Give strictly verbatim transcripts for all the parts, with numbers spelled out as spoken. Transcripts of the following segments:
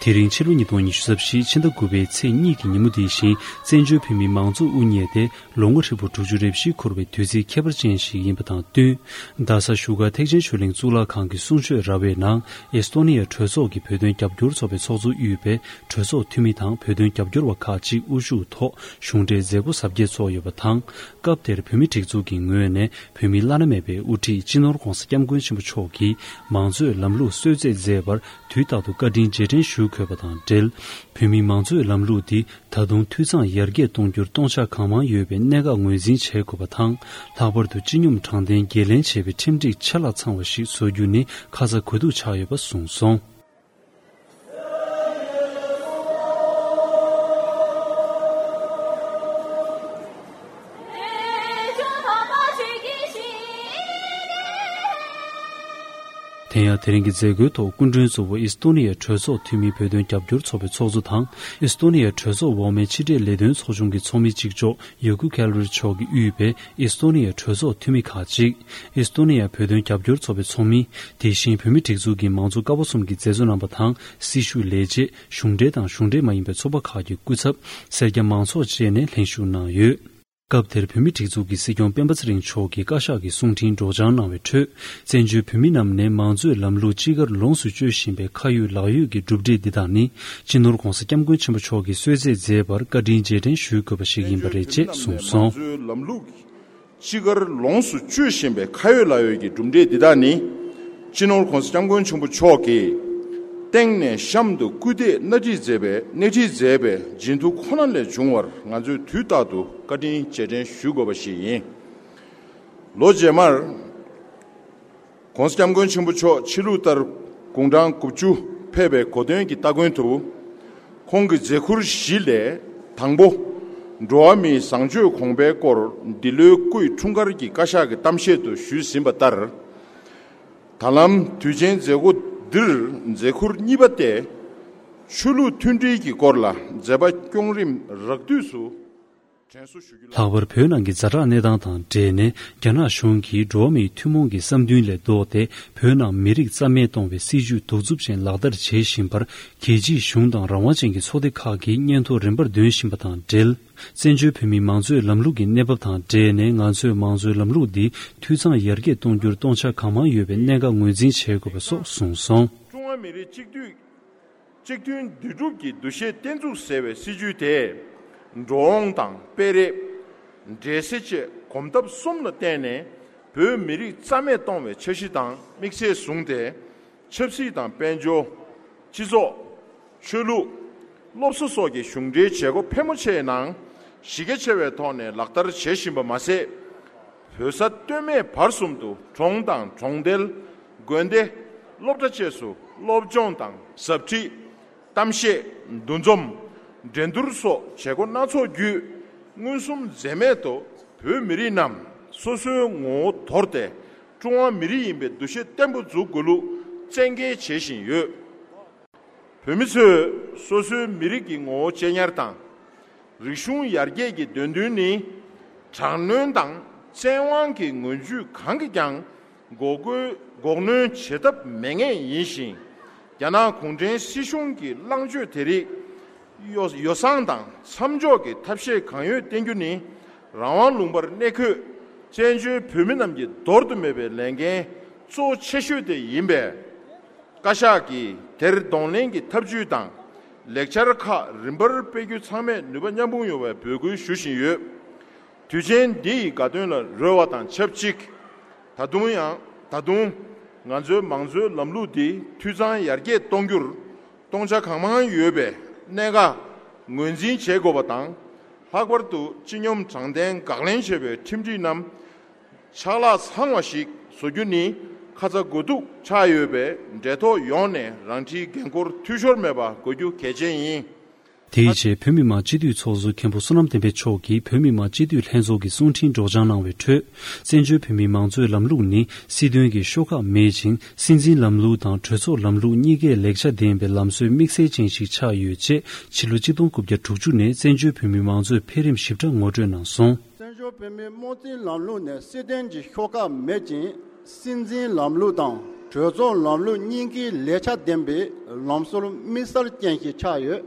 དེ་རིང་ཕྱི་ལོ་ཉིས་སྟོང་ཉི་ཤུ་རྩ་བཞི་ཕྱི་ཟླ་དགུ་པའི་ཚེས་གཉིས་ཀྱི་ཉིན་མོ་འདི་བཞིན་བཙན་བྱོལ་བོད་མིའི་མང་གཙོ་དབུ་བརྙེས་ཏེ་ལོ་ངོ་ཧྲིལ་པོ་དྲུག་ཅུ་རེ་བཞི་འཁོར་བའི་དུས་ཚིགས་ཁྱད་པར་ཅན་ཞིག་ཡིན་པ་དང་བསྟུན། རྡ་ས་བཞུགས་སྒར་ཐེག་ཆེན་ཆོས་གླིང་གཙུག་ལག་ཁང་གི་གསུང་ཆོས་ར་བའི་ནང་ཨེས་ཏོ་ནི་ཡ་གྲོས་ཚོགས་ཀྱི་བོད་དོན་རྒྱབ་སྐྱོར་ཚོགས་པའི་ཚོགས་གཙོ་དབུས་པའི་གྲོས་ཚོགས་འཐུས་མི་དང་བོད་དོན་རྒྱབ་སྐྱོར་བ་ཁག་ཅིག་དབུ་བཞུགས་ཐོག་གཞུང་འབྲེལ་མཛད་སྒོ་གཟབ་རྒྱས་ཚོགས་ཡོད་པ་དང་། སྐབས་དེར་བོད་མིའི་སྒྲིག་འཛུགས་ཀྱི་ངོས་ནས་བོད་མིའི་བླ་ན་མེད་པའི་དབུ་ཁྲིད་སྤྱི་ནོར་༧གོང་ས་༧སྐྱབས་མགོན་ཆེན་པོ་མཆོག་གིས་མང་གཙོའི་ལམ་ལུགས་གསོལ་སྩལ་མཛད་པར་དུས་རྟག་ཏུ་བཀའ་དྲིན་རྗེས་དྲན་ཞུ་དགོས་པ་དང་འབྲེལ། བོད་མིའི་མང་གཙོའི་ལམ་ལུགས་འདི་ད་དུང་འཐུས་ཚང་ཡར་རྒྱས་གཏོང་རྒྱུར་སྟོང་ཆ་གང་མང་ཡོད་པའི་གནད་འགག་ངོས་འཛིན་བྱེད་དགོས་པ་དང་། ལྷག་པར་དུ་སྤྱི་སྙོམས་དྲང་བདེན་འགན་ལེན་བྱེད་པའི་ཁྲིམས་སྒྲིག་ཆ་ལ་ཚང་བ་ཞིག་བཟོ་རྒྱུ་ནི་ཁ་ཚ་དགོས་གཏུགས་ཆགས་ཡོད་པ་གསུངས་སོང་། དེ་ཡང་དེ་རིང་གི་མཛད་སྒོའི་ཐོག་སྐུ་མགྲོན་གཙོ་བོ་ཨིས་ཏོ་ནི་ཡའི་གྲོས་ཚོགས་འཐུས་མི་བོད་དོན་རྒྱབ་སྐྱོར་ཚོགས་པའི་ཚོགས་གཙོ་དང་ཨིས་ཏོ་ནི་ཡའི་གྲོས་ཚོགས་འོག་མའི་ཕྱི་འབྲེལ་ལས་དོན་ཚོགས་ཆུང་གི་ཚོགས་མི་གཅིག་ལྕོགས་ཡོ་ཀུ་ཁེལ་རི་མཆོག་གིས་དབུས་པའི་ཨིས་ཏོ་ནི་ཡའི་གྲོས་ཚོགས་འཐུས་མི་ཁག་ཅིག་ཨིས་ཏོ་ནི་ཡ་བོད་དོན་རྒྱབ་སྐྱོར་ཚོགས་པའི་ཚོགས་མི། དེ་བཞིན་བོད་མིའི་སྒྲིག་འཛུགས་ཀྱི་མང་གཙོ་ཀ་བ་གསུམ་གྱི་མཛད་གཙོ་རྣམ་པ་དང་སྲི་ཞུ་ལས་བྱེད། གཞུང་འབྲེལ་དང་གཞུང་འབྲེལ་མ་ཡིན་པའི་ཚོགས་པ་ཁག་གི་སྐུ་ཚབ། སེར་སྐྱ་མང་ཚོགས་བཅས་ནས་ལྷན་ཞུགས་གནང་ཡོད། སྐབས་དེར་བོད་མིའི་སྒྲིག་འཛུགས་ཀྱི་སྲིད་སྐྱོང་སྤེན་པ་ཚེ་རིང་མཆོག་གིས་བཀའ་ཤག་གི་གསུང་འཕྲིན་སྒྲོག་སྦྱང་གནང་བའི་ཁྲོད། བཙན་བྱོལ་བོད་མི་རྣམས་ནས་མང་གཙོའི་ལམ་ལུགས་ཅི་དགར་ལོངས་སུ་སྤྱོད་བཞིན་པའི་ཁ་ཡོད་ལག་ཡོད་ཀྱི་གྲུབ་འབྲས་འདི་དག་ནི། སྤྱི་ནོར་༧གོང་ས་༧སྐྱབས་མགོན་ཆེན་པོ་མཆོག་གིས་གསོལ་སྩལ་མཛད་པར་བཀའ་དྲིན་རྗེས་དྲན་ཞུ་དགོས་པ་ཞིག་ཡིན་པ་རེད་ཅེས་གསུངས་སོང་། བཙན་བྱོལ་བོད་མི་རྣམས་ནས་མང་གཙོའི་ལམ་ལུགས་ཅི་དགར་ལོངས་སུ་སྤྱོད་བཞིན་པའི་ཁ་ཡོད་ལག་ཡོད་ཀྱི་གྲུབ་འབྲས་འདི་དག་ནི། སྤྱི་ནོར་༧གོང་ས་༧སྐྱབས་མགོན་ཆེན་པོ་མཆོག་གིས་སྟེང་ནས་གཤམ་དུ་སྐུལ་འདེད་སྣེ་ཁྲིད་མཛད་པའི་སྣེ་ཁྲིད་མཛད་པའི་བྱིན་མཐུ་ཁོ་ན་ལས་བྱུང་བར་ང་ཚོས་དུས་རྟག་ཏུ་བཀའ་དྲིན་རྗེས་དྲན་ཞུ་དགོས་པ་ཞིག་ཡིན། ལོ་རྗེས་མར། ༸གོང་ས་༸སྐྱབས་མགོན་ཆེན་པོ་མཆོག་ཕྱི་ལུགས་ལྟར་དགུང་གྲངས་དགུ་བཅུ་ཕེབས་པའི་གོ་སྟོན་གྱི་སྟ་གོན་དུ། ཁོང་གི་མཛད་ཁུར་བཞི་ལས་དང་པོ། འགྲོ་བ་མིའི་བཟང་སྤྱོད་གོང་འཕེལ་སྐོར་འདི་ལོའི་སྐུའི་འཁྲུངས་སྐར་གྱི་བཀའ་ཤག་གི་གཏམ་བཤད་དུ་ཞུས་ཟིན་པ་ལྟར། ད་ལམ་དུས་ཆེན་མཛད་སྒོ་འདིར་མཛད་ཁུར་གཉིས་པ་སྟེ། ཆོས་ལུགས་མཐུན་སྒྲིལ་གྱི་སྐོར་ལ་མཛད་པ་སྐྱོང་རིམ་རགས་བསྡུས་སུ། ལྷག་པར་བོད་ནང་གི་ཛ་དྲག་གནས་སྟངས་དང་འབྲེལ་ནས་རྒྱ་ནག་གཞུང་གིས་འགྲོ་བ་མིའི་ཐུན་མོང་གི་བསམ་འདུན་ལས་ལྡོག་སྟེ་བོད་ནང་མི་རིགས་རྩ་མེད་གཏོང་བའི་སྲིད་ཇུས་གདུག་རྩུབ་ཅན་ལག་བསྟར་བྱེད་བཞིན་པར་རྒྱལ་སྤྱིའི་གཞུང་དང་རང་དབང་ཅན་གྱི་ཚོགས་སྡེ་ཁག་གིས་སྙན་ཐོ་རིམ་པར་འདོན་བཞིན་པ་དང་འབྲེལ། བཙན་བྱོལ་བོད་མིའི་མང་གཙོའི་ལམ་ལུགས་ཀྱི་གནས་བབ་དང་འབྲེལ་ནས་ང་ཚོས་མང་གཙོའི་ལམ་ལུགས་འདི་འཐུས་ཚང་ཡར་རྒྱས་གཏོང་རྒྱུར་སྟོང་ཆ་གང་མང་ཡོད་པའི་གནད་འགག་ངོས་འཛིན་བྱེད་དགོས་པ་སོགས་གསུངས་སོང་། ཀྲུང་ཧྭ་མི་རིགས་གཅིག་སྡུད། གཅིག་མཐུན་འདུས་གྲུབ་ཀྱི་འདུ་ཤེས་བརྟན་ཚུགས་ཟེར་བའི་སྲིད་ཇུས་དེས། འགྲོ་འོང་དང་སྤེལ་རེས། འབྲེལ་ཟེར་བཅས་གོམ་སྟབས་གསུམ་ལ་བརྟེན་ནས་བོད་མི་རིགས་རྩ་མེད་གཏོང་བའི་འཆར་གཞི་དང་དམིགས་ཚད་བཟུང་སྟེ། ཆབ་སྲིད་དང་དཔལ་འབྱོར། སྤྱི་ཚོགས། ཆོས་ལུགས། སློབ་གསོ་སོགས་ཀྱི་གཞུང་འབྲེལ་བྱེད་སྒོ་ཕལ་མོ་ཆེའི་ནང་གཞི་རྒྱ་ཆེ་བའི་ཐོག་ནས་ལག་བསྟར་བྱེད་བཞིན་པ་མ་ཟད། བོད་ས་སྟོད་སྨད་བར་གསུམ་དུ་གྲོང་དང་གྲོང་རྡལ། དགོན་སྡེ། སློབ་གྲྭ་བཅས་སུ་སློབ་སྦྱོང་དང་ཟབ་ཁྲིད། གཏམ་བཤད། འདུ་འཛོམས། འགྲན་བསྡུར་སོགས་བྱེད་སྒོ་སྣ་ཚོགས་བརྒྱུད། མངོན་སུམ་འཛེམས་མེད་དུ་བོད་མི་རིགས་རྣམས་སོ་སོའི་ངོ་བོ་དོར་ཏེ་ཀྲུང་ཧྭ་མི་རིགས་ཡིན་པའི་འདུ་ཤེས་བརྟན་པོ་འཛུགས་དགོས་ལུགས་བཙན་འགེལ་བྱེད་བཞིན་ཡོད། བོད་མི་ཚོས་སོ་སོའི་མི་རིགས་ཀྱི་ངོ་བོ་གཅེས་ཉར་དང་། རིག་གཞུང་ཡར་རྒྱས་ཀྱི་འདོད་འདུན་ནི། དྲག་གནོན་དང་བཙན་དབང་གི་ངོས་བརྒྱུད་གང་གིས་ཀྱང་འགོག་རྒོལ་འགོག་གནོན་བྱེད་ཐབས་མེད་ངེས་ཡིན་ཞིང་། རྒྱ་ནག་གུང་ཁྲན་སྲིད་གཞུང་གི་ལངས་ཕྱོགས་དེ་རིགས་ཡོ་ཡོ་བསྲང་དང་མཚམས་འཇོག་གི་ཐབས་ཤེས་གང་ཡོད་བསྟེན་རྒྱུ་ནི། རང་དབང་ལུང་པར་གནས་འཁོད་བཙན་བྱོལ་བོད་མི་རྣམས་ཀྱི་འདོར་དུ་མེད་པའི་ལས་འགན་གཙོ་ཆེ་ཤོས་དེ་ཡིན་པས། བཀའ་ཤག་གིས་དེར་གདོང་ལེན་གྱི་ཐབས་ཇུས་དང་ལེགས་ཆ་ཁག་རིམ་པར་སྤེལ་རྒྱུ་ཚང་མས་ནུས་པ་མཉམ་སྤུངས་ཡོང་བའི་འབོད་སྐུལ་ཞུ་བཞིན་ཡོད། དུས་ཆེན་འདི་ཡི་དགའ་སྟོན་ལ་རོལ་བ་དང་ཆབས་ཅིག་ད་དུང་ཡང་ད་དུང་ང་ཚོའི་མང་གཙོའི་ལམ་ལུགས་འདི་འཐུས་ཚང་ཡར་རྒྱས་གཏོང་རྒྱུར་སྟོང་ཆ་གང་མང་ཡོད་པའི་གནད་འགག་ངོས་འཛིན་བྱེད་དགོས་པ་དང་། ལྷག་པར་དུ་སྤྱི་སྙོམས་དྲང་བདེན་དགག་ལན་བྱེད་པའི་ཁྲིམས་སྒྲིག་རྣམས། ཕྱག་ལག་ཚང་བ་ཞིག་བཟོ་རྒྱུ་ནི་ཁ་ཚ་དགོས་གཏུགས་ཆགས་ཡོད་པས། འབྲེལ་ཐོགས་ཡོངས་ནས་རང་འཁྲིའི་འགན་འཁུར་འཐུས་ཤོར་མེད་པ་དགོས་རྒྱུ་གལ་ཆེན་ཡིན། དེའི་རྗེས་བོད་མི་མང་སྤྱི་འཐུས་ཚོགས་གཙོ་མཁན་པོ་བསོད་ནམས་བསྟན་འཕེལ་མཆོག་གིས་བོད་མི་མང་སྤྱི་འཐུས་ལྷན་ཚོགས་ཀྱི་གསུང་འཕྲིན་སྒྲོག་སྦྱང་གནང་བའི་ཁྲོད། བཙན་བྱོལ་བོད་མིའི་མང་གཙོའི་ལམ་ལུགས་ནི་སྲིད་དོན་གྱི་ཤོག་ཁག་མེད་ཅིང་། སྲིད་འཛིན་ལམ་ལུགས་དང་གྲོས་ཚོགས་ལམ་ལུགས་གཉིས་ཀས་ལེགས་ཆ་ལྡན་པའི་ལམ་སྲོལ་དམིགས་བསལ་ཅན་ཞིག་ཆགས་ཡོད་ཅེས། ཕྱི་ལོ་གཅིག་སྟོང་དགུ་བརྒྱ་དྲུག་ཅུ་ནས་བཙན་བྱོལ་བོད་མིའི་མང་གཙོའི་འཕེལ་རིམ་ཞིབ་ཕྲ་ངོ་སྤྲོད་གནང་སོང་། བཙན་བྱོལ་བོད་མིའི་དམངས་གཙོའི་ལམ་ལུགས་ནི་སྲིད་དོན་གྱི་ཤོག་ཁག་མེད་ཅིང་། སྲིད་འཛིན་ལམ་ལུགས་དང་ གྲོས་ཚོགས་ལམ་ལུགས་རྙིང་ཁའི་ལེགས་ཆ་ལྡན་པའི་ལམ་སྲོལ་དམིགས་བསལ་ཅན་ཞིག་ཆགས་ཡོད།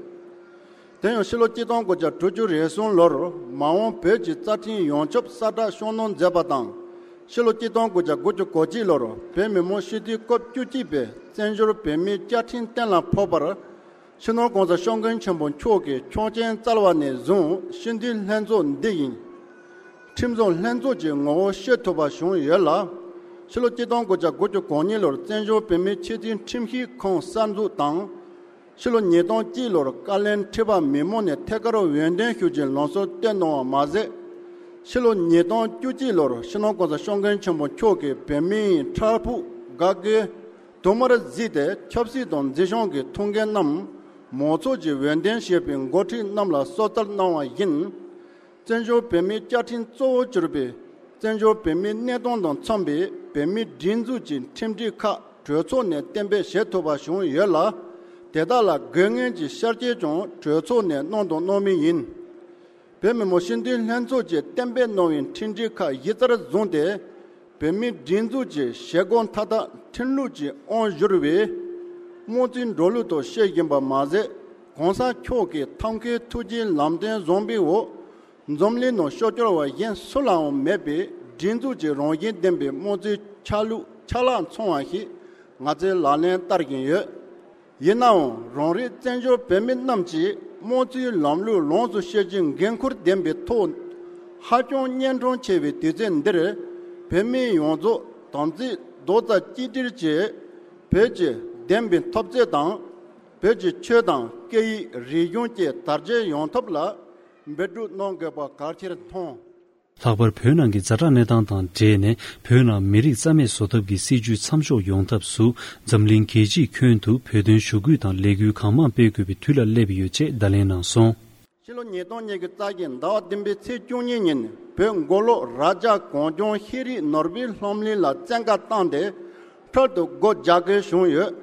དེ་ཡང་ཕྱི་ལོ་གཅིག་སྟོང་དགུ་བརྒྱ་དྲུག་ཅུ་རེ་གསུམ་ལོར་མ་འོངས་བོད་ཀྱི་རྩ་ཁྲིམས་ཡོངས་ཁྱབ་གསལ་བསྒྲགས་ཤོག་སྣོན་མཛད་པ་དང་། ཕྱི་ལོ་གཅིག་སྟོང་དགུ་བརྒྱ་དགུ་བཅུ་གོ་གཅིག་ལོར་བོད་མི་མང་སྤྱི་འཐུས་སྐབས་བཅུ་གཅིག་པའི་བཙན་བྱོལ་བོད་མིའི་བཅའ་ཁྲིམས་གཏན་ལ་ཕབ་པར། སྤྱི་ནོར་གོང་ས་སྐྱབས་མགོན་ཆེན་པོ་མཆོག་གིས་ཆོག་མཆན་སྩལ་བ་ནས་བཟུང་སྤྱི་འཐུས་ལྷན་ཚོགས་འདི་ཡིས་ཁྲིམས་བཟོ་ལྷན་ཚོགས་ཀྱི་ངོ་བོ་ཤེས་ཐུབ་པ་བྱུང་ཡོད་ལ། ཕྱི་ལོ་གཅིག་སྟོང་དགུ་བརྒྱ་དགུ་བཅུ་གོ་གཉིས་ལོར་བཙན་བྱོལ་བོད་མིའི་ཆེས་མཐོའི་ཁྲིམས་ཞིབ་ཁང་གསར་འཛུགས་དང་། ཕྱི་ལོ་ཉིས་སྟོང་གཅིག་ལོར་བཀའ་བློན་ཁྲི་པ་མི་མང་ནས་ཐད་ཀར་འོས་འདེམས་ཞུ་རྒྱུའི་ལམ་སྲོལ་བཏོད་གནང་བ་མ་ཟད། ཕྱི་ལོ་ཉིས་སྟོང་བཅུ་གཅིག་ལོར་སྤྱི་ནོར་གོང་ས་སྐྱབས་མགོན་ཆེན་པོ་མཆོག་གིས་བོད་མིའི་ཕྲག་ཕུག་དགའ་དགོས་དུ་མར་གཟིགས་ཏེ་ཆབ་སྲིད་དང་འཛིན་སྐྱོང་གི་ཐུགས་འགན་རྣམས་མང་ཚོགས་ཀྱིས་འོས་འདེམས་བྱས་པའི་འགོ་ཁྲིད་རྣམས་ལ་གསོལ་སྩལ་གནང་བ་ཡིན། བཙན་བྱོལ་བོད་མིའི་བཅའ་ཁྲིམས་གཙོ་བོར་གྱུར་པའི་བཙན་བྱོལ་བོད་མིའི་གནས་སྟངས་དང་འཚམ་པའི་བོད་མིའི་སྒྲིག་འཛུགས་ཀྱི་ཁྲིམས་སྒྲིག་ཁག་གྲོས་ཚོགས་ནས་གཏན་འབེབས་བྱེད་ཐུབ་པ་བྱུང་ཡོད་ལ། དེ་དག་ལ་དགོས་ངེས་ཀྱི་ཤར་སྐྱེལ་ཀྱང་གྲོས་ཚོགས་ནས་གནང་དང་གནང་མུས་ཡིན། བོད་མི་མང་སྤྱི་འཐུས་ལྷན་ཚོགས་ཀྱིས་གཏན་འབེབས་གནང་བའི་ཁྲིམས་སྒྲིག་ཁག་གཞི་རྩར་བཟུང་སྟེ། བོད་མིའི་སྒྲིག་འཛུགས་ཀྱི་བྱེད་སྒོ་མཐའ་དག་ཁྲིམས་ལུགས་ཀྱི་དབང་བསྒྱུར་བའི་དམངས་གཙོའི་འགྲོ་ལུགས་ཐོག་བྱེད་བཞིན་པ་མ་ཟད། གོང་ས་མཆོག་གིས་ཐབས་མཁས་ཐུགས་རྗེའི་ལམ་སྟོན་བཟང་པོའི་འོག་འཛམ་གླིང་ནང་ཤོག་གྱོགས་པ་གཞན་སུ་ལའང་མེད་པའི་སྒྲིག་འཛུགས་ཀྱི་རང་བཞིན་ལྡན་པའི་དམངས་གཙོའི་ཆ་ལུགས་ཆ་ལག་ཚང་བ་ཞིག་ང་ཚོས་ལག་ལེན་བསྟར་བཞིན་ཡོད། ཡིན་ནའང་རང་རེའི་བཙན་བྱོལ་བོད་མི་རྣམས་ཀྱིས་དམངས་གཙོའི་ལམ་ལུགས་ལོངས་སུ་སྤྱོད་རྒྱུའི་འགན་ཁུར་ལྡན་པའི་ཐོག་ཧ་ཅང་གཉན་འཕྲང་ཆེ་བའི་དུས་ཚོད་འདིར། བོད་མི་ཡོངས་རྫོགས་དམ་ཚིག་རྡོག་རྩ་གཅིག་སྒྲིལ་གྱིས་བོད་ཀྱི་བདེན་པའི་འཐབ་རྩོད་དང་། བོད་ཀྱི་ཆོས་དང་སྐད་ཡིག་རིག་གཞུང་བཅས་དར་རྒྱས་ཡོང་ཐབས་ལ་འབད་བརྩོན་གནང་དགོས་པ་གལ་ཆེར་མཐོང་། ལྷག་པར་བོད་ནང་གི་ཛ་དྲག་གནས་སྟངས་དང་འབྲེལ་ནས། བོད་ནང་མི་རིགས་རྩ་མེད་བཟོ་ཐབས་ཀྱི་སྲིད་བྱུས་མཚམས་འཇོག་ཡོང་ཐབས་སུ། འཛམ་གླིང་རྒྱལ་སྤྱིའི་ཁྱོན་དུ་བོད་དོན་ཞུ་སྐུལ་དང་ལས་འགུལ་གང་མང་སྤེལ་དགོས་པའི་དུས་ལ་སླེབས་ཡོད་ཅེས་བརྡ་ལན་གནང་སོང་། ཕྱི་ལོ་ཉིས་སྟོང་ཉི་ཤུ་རྩ་བཞི་ཟླ་བ་བདུན་པའི་ཚེས་བཅུ་གཉིས་ཉིན། བོད་མགོ་ལོག་རྭ་རྒྱ་གངས་ལྗོངས་ཤེས་རིག་ནོར་བུའི་སློབ་གླིང་ལ་བཙན་བཀའ་བཏང་སྟེ། འཕྲལ་དུ་སྒོ་རྒྱག་དགོས་བྱུང་ཡོད།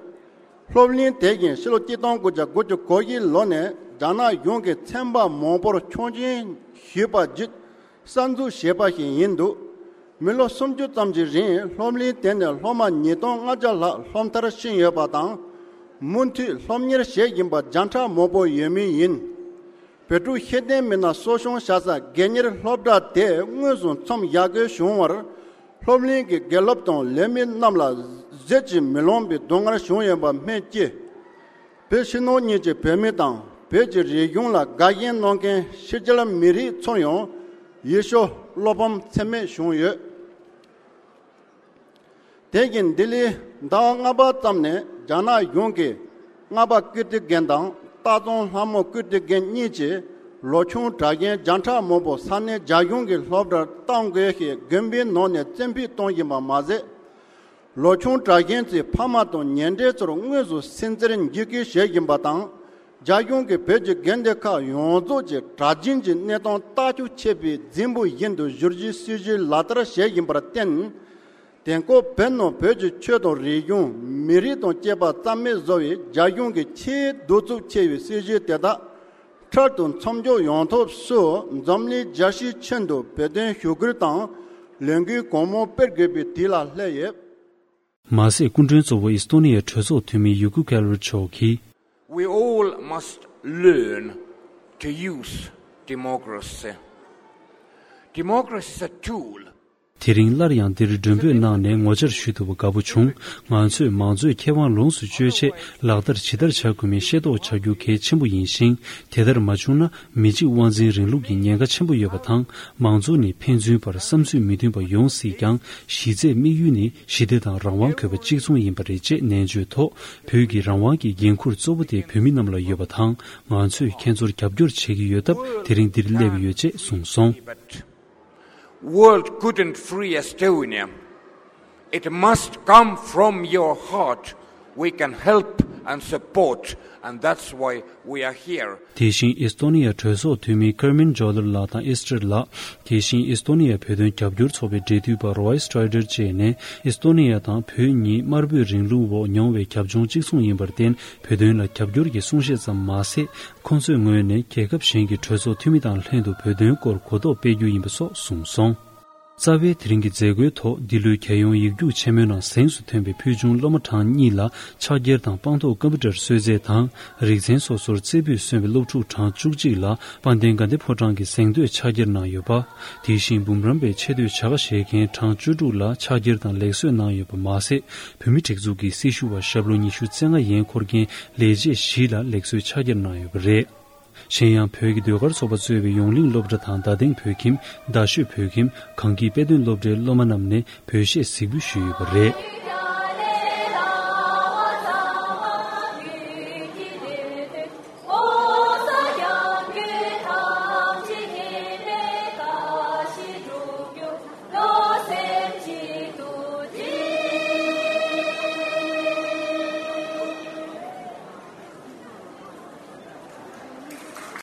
སློབ་གླིང་དེ་བཞིན་ཕྱི་ལོ་གཅིག་སྟོང་དགུ་བརྒྱ་དགུ་བཅུ་གོ་བཞི་ལོ་ནས་རྒྱ་ནག་གཞུང་གིས་ཚན་པ་མང་པོར་ཆོག་མཆན་ཞུས་པ་བརྒྱུད་གསར་འཛུགས་བྱས་པ་ཞིག་ཡིན་འདུག་མི་ལོ་སུམ་ཅུ་ཙམ་གྱི་རིང་སློབ་གླིང་དེ་ནས་སློབ་མ་ཉིས་སྟོང་ལྔ་བརྒྱ་ལྷག་སློབ་མཐར་ཕྱིན་ཡོད་པ་དང་། མུ་མཐུད་སློབ་གཉེར་བྱེད་བཞིན་པ་བརྒྱ་ཕྲག་མང་པོ་ཡོད་མུས་ཡིན། བོད་ཕྲུག་ཤེས་ལྡན་མི་སྣ་གསོ་སྐྱོང་བྱ་ས་སྒེར་གཉེར་སློབ་གྲྭ་དེ་དངོས་སུ་མཚམས་བཞག་དགོས་བྱུང་བར། སློབ་གླིང་གི་དགེ་སློབ་དང་ལས་མི་རྣམས་ལ་བཟོད་ཀྱིས་མི་ལང་བའི་སྡུག་བསྔལ་བྱུང་ཡོད་པ་སྨོས་ཅི། བོད་ཕྱི་ནང་གཉིས་ཀྱི་བོད་མི་དང་བོད་ཀྱི་རིག་གཞུང་ལ་དགའ་ཞེན་གནང་མཁན་ཕྱི་རྒྱལ་མི་རིགས་ཚོར་ཡང་ཡིད་སྐྱོ་བློ་ཕམ་ཚད་མེད་བྱུང་ཡོད། དེ་བཞིན་ལྡི་ལིར་ཟླ་བ་ལྔ་པ་ཙམ་ནས་རྒྱ་ནག་གཞུང་གིས་རྔ་པ་ཀིརྟི་དགོན་དང་སྟག་ཚང་ལྷ་མོ་ཀིརྟི་དགོན་གཉིས་ཀྱི་ལོ་ཆུང་གྲྭ་རྒན་བརྒྱ་ཕྲག་མང་པོ་ས་གནས་རྒྱ་གཞུང་གི་སློབ་གྲྭར་གཏོང་དགོས་ཞེས་དགོན་པའི་ནང་ནས་བཙན་ཕུད་གཏོང་བཞིན་པ་མ་ཟད། ལོ་ཆུང་གྲྭ་རྒན་ཚོའི་ཕ་མ་དང་ཉེ་འབྲེལ་ཚོར་དངོས་སུ་སུན་གཙེར་འཇིགས་སྐུལ་བྱེད་བཞིན་པ་དང་། རྒྱ་གཞུང་གིས་བོད་ཀྱི་དགོན་སྡེ་ཁག་ཡོངས་རྫོགས་ཀྱི་གྲྭ་བཞིན་གྱི་གནས་སྟངས་ལྟ་སྐྱོང་བྱེད་པའི་རྫུན་པོ་བཞིན་དུ་བསྒྱུར་རྒྱུའི་སྲིད་བྱུས་ལག་བསྟར་བྱེད་བཞིན་པར་བརྟེན། དེང་སྐབས་བོད་ནང་བོད་ཀྱི་ཆོས་དང་རིག་གཞུང་། མི་རིགས་དང་བཅས་པ་རྩ་མེད་བཟོ་བའི་རྒྱ་གཞུང་གི་ཆེས་གདུག་རྩུབ་ཆེ་བའི་སྲིད་བྱུས་དེ་དག་འཕྲལ་དུ་མཚམས་འཇོག་ཡོང་ཐབས་སུ་འཛམ་གླིང་རྒྱལ་སྤྱིའི་ཁྱོན་དུ་བོད་དོན་ཞུ་སྐུལ་དང་ལས་འགུལ་གང་མང་སྤེལ་དགོས་པའི་དུས་ལ་སླེབས་ཡོད། མ་ཟད་སྐུ་མགྲོན་གཙོ་བོ་ཨི་སྟོ་ནི་ཡའི་གྲོས་ཚོགས་འཐུས་མི་ཡུ་ཀུ་ཁེ་ལར་མཆོག་གིས། We all must learn to use democracy. Democracy is a tool. དེ་རིང་སླར་ཡང་འདིར་མགྲོན་འབོད་གནང་ནས་ངོ་བཅར་ཞུ་ཐུབ་པ་དགའ་པོ་བྱུང་། ང་ཚོས་མང་གཙོའི་ཁེ་དབང་ལོངས་སུ་སྤྱོད་ཆེད་ལག་བསྟར་ཇི་ལྟར་བྱ་དགོས་མིན་ཤེས་རྟོགས་བྱ་རྒྱུ་གལ་ཆེན་པོ་ཡིན་ཞིང་། དེ་ལྟར་མ་བྱུང་ན། མི་གཅིག་དབང་འཛིན་རིང་ལུགས་ཀྱི་ཉེན་ཁ་ཆེན་པོ་ཡོད་པ་དང་། མང་གཙོ་ནི་ཕན་ཚུན་བར་བསམ་ཚུལ་མི་མཐུན་པ་ཡོང་སྲིད་ཀྱང་། གཞི་རྩའི་དམིགས་ཡུལ་ནི་ཞི་བདེ་དང་རང་དབང་དགོས་པ་གཅིག་མཚུངས་ཡིན་པ་རེད་ཅེས་ནན་བརྗོད་ཐོག་བོད་ཀྱི་རང་དབང་གི་འགན་འཁུར་གཙོ་བོ་དེ་བོད་མི་རྣམས་ལ་ཡོད་པ་དང་། ང་ཚོས་ཁྱེད་ཚོར་རྒྱབ་སྐྱོར་བྱེད་ཀྱི་ཡོད་སྟབས། དེ་རིང་འདིར་སླེབས་ཡོད་ཅེས་གསུངས་སོང་། World couldn't free Estonia. It must come from your heart. We can help and support, and that's why we are here. དེ་བཞིན་ཨི་སྟོ་ནི་ཡའི་གྲོས་ཚོགས་འཐུས་མི་ཀར་མིན་ཇོ་ལར་ལགས་དང་ཨེ་སི་ཏྲེར་ལགས། དེ་བཞིན་ཨི་སྟོ་ནི་ཡའི་བོད་དོན་རྒྱབ་སྐྱོར་ཚོགས་པའི་འབྲེལ་མཐུད་པ་རོའི་སི་ཊ་རའི་ཌར་བཅས་ནས། ཨི་སྟོ་ནི་ཡ་དང་བོད་གཉིས་དམར་པོའི་རིང་ལུགས་འོག་མྱོང་བའི་རྒྱབ་ལྗོངས་གཅིག་མཚུངས་ཡིན་པར་བརྟེན། བོད་དོན་ལ་རྒྱབ་སྐྱོར་གྱི་གསུང་བཤད་ཙམ་མ་ཟད། ཁོང་ཚོའི་ངོས་ནས་རྒྱལ་ཁབ་གཞན་གྱི་གྲོས་ཚོགས་འཐུས་མི་དང་ལྷན་དུ་བོད་དོན་སྐོར་གོ་རྟོགས་སྤེལ་རྒྱུ་ཡིན་པ་སོགས་གསུངས་སོང་། རྩ་བའི་དེ་རིང་གི་མཛད་སྒོའི་ཐོག་འདི་ལོའི་རྒྱལ་ཡོངས་ཡིག་རྒྱུགས་ཆེན་མོའི་ནང་གཟེངས་སུ་ཐོན་པའི་ཕུལ་བྱུང་སློབ་མ་གྲངས་གཉིས་ལ་ཕྱག་འཁྱེར་དང་དཔང་ཐོག་ཀམ་པུ་ཊར་གསོལ་ཚད་དང་། རིག་ཚན་སོ་སོར་རྩེ་ཕུད་སོན་པའི་སློབ་ཕྲུག་གྲངས་བཅུ་གཅིག་ལ་དཔལ་ལྡན་དགའ་ལྡན་ཕོ་བྲང་གི་གཟེངས་བསྟོད་ཕྱག་འཁྱེར་གནང་ཡོད་པ། དེ་བཞིན་འབུམ་རམས་པའི་ཆེ་བསྟོད་བྱ་དགའ་བཞེས་མཁན་གྲངས་བཅུ་དྲུག་ལ་ཕྱག་འཁྱེར་དང་ལེགས་གསོལ་གནང་ཡོད་པ་མ་ཟད། བོད་མིའི་སྒྲིག་འཛུགས་ཀྱི་སྲི་ཞུ་བ་ཞབས་ལོ་ཉི་ཤུ་རྩ་ལྔ་ཡན་འཁོར་མཁན་ལས་བྱེད་བཞི་ལ་ལེགས་གསོལ་ཕྱག་འཁྱེར་གནང་ཡོད་པ་རེད། གཞན་ཡང་བོད་ཀྱི་ཟློས་གར་ཚོགས་པ་གཙོས་པའི་ཡོངས་གླིང་སློབ་གྲྭ་དང་རྡ་སྟེང་བོད་ཁྱིམ། རྡ་ཤོད་བོད་ཁྱིམ། གངས་སྐྱིད་དཔེ་སྟོན་སློབ་གྲྭའི་སློབ་མ་རྣམས་ནས་བོད་གཞས་གཟིགས་འབུལ་ཞུས་ཡོད་པ་རེད།